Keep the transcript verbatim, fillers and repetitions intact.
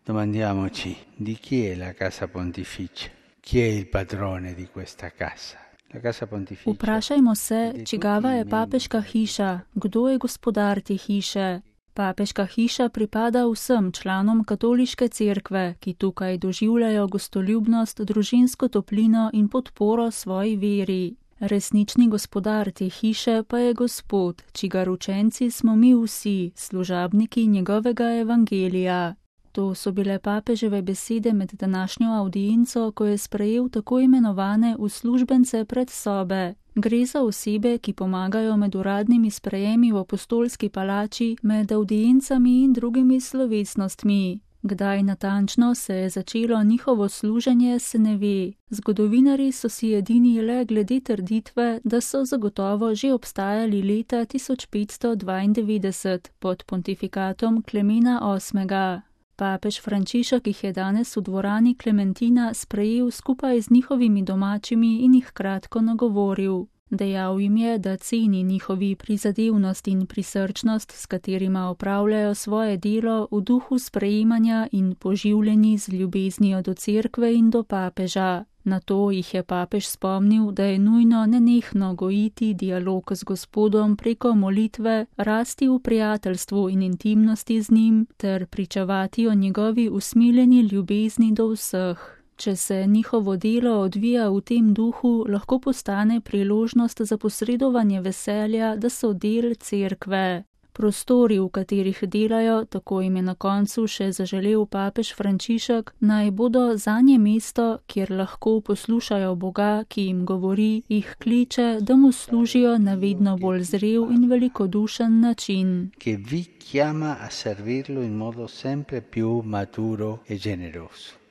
Domandiamoci di chi è la casa pontificia, chi è il padrone di questa casa. La casa pontificia. Vprašajmo se, čigava je papeška hiša, kdo je gospodar te hiše. Papeška hiša pripada vsem članom katoliške cerkve, ki tukaj doživljajo gostoljubnost, družinsko toplino in podporo svoji veri. Resnični gospodar te hiše pa je Gospod, čigar učenci smo mi vsi, služabniki njegovega evangelija. To so bile papeževe besede med današnjo avdienco, ko je sprejel tako imenovane uslužbence predsobe. Gre za osebe, ki pomagajo med uradnimi sprejemi v apostolski palači, med avdiencami in drugimi slovesnostmi. Kdaj natančno se je začelo njihovo služenje, se ne ve. Zgodovinarji so si edini le glede trditve, da so zagotovo že obstajali leta tisoč petsto dvaindevetdeset pod pontifikatom Klemena osmega. Papež Frančišek jih je danes v dvorani Klementina sprejel skupaj z njihovimi domačimi in jih kratko nagovoril. Dejal jim je, da ceni njihovi prizadevnost in prisrčnost, s katerima opravljajo svoje delo v duhu sprejemanja in poživljeni z ljubeznijo do cerkve in do papeža. Na to jih je papež spomnil, da je nujno nenehno gojiti dialog z Gospodom preko molitve, rasti v prijateljstvu in intimnosti z njim ter pričevati o njegovi usmiljeni ljubezni do vseh. Če se njihovo delo odvija v tem duhu, lahko postane priložnost za posredovanje veselja, da so del cerkve. Prostori, v katerih delajo, tako jim je na koncu še zaželel papež Frančišek, naj bodo zanje mesto, kjer lahko poslušajo Boga, ki jim govori, jih kliče, da mu služijo na vedno bolj zrel in velikodušen način. Che vi chiama a servirlo in modo sempre più maturo e generoso.